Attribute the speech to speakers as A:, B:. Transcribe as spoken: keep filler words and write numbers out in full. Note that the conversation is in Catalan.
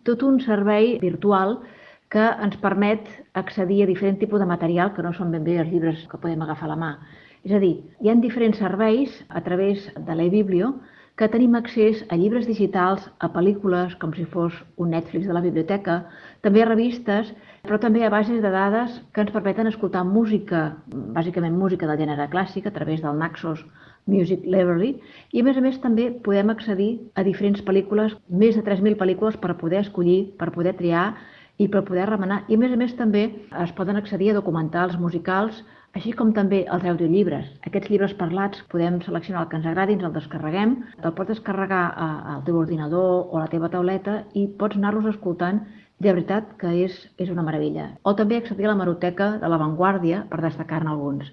A: tot un servei virtual que ens permet accedir a diferent tipus de material que no són ben bé els llibres que podem agafar a la mà. És a dir, hi ha diferents serveis a través de l'eBiblio que tenim accés a llibres digitals, a pel·lícules, com si fos un Netflix de la biblioteca, també a revistes, però també a bases de dades que ens permeten escoltar música, bàsicament música del gènere clàssic, a través del Naxos Music Library, i a més a més també podem accedir a diferents pel·lícules, més de tres mil pel·lícules per poder escollir, per poder triar i per poder remenar. I a més a més també es poden accedir a documentals musicals, així com també als audiollibres. Aquests llibres parlats podem seleccionar el que ens agradi, ens el descarreguem, te'l pots descarregar al teu ordinador o a la teva tauleta i pots anar-los escoltant. De veritat que és, és una meravella. O també accedir a la hemeroteca de La Vanguardia, per destacar-ne alguns.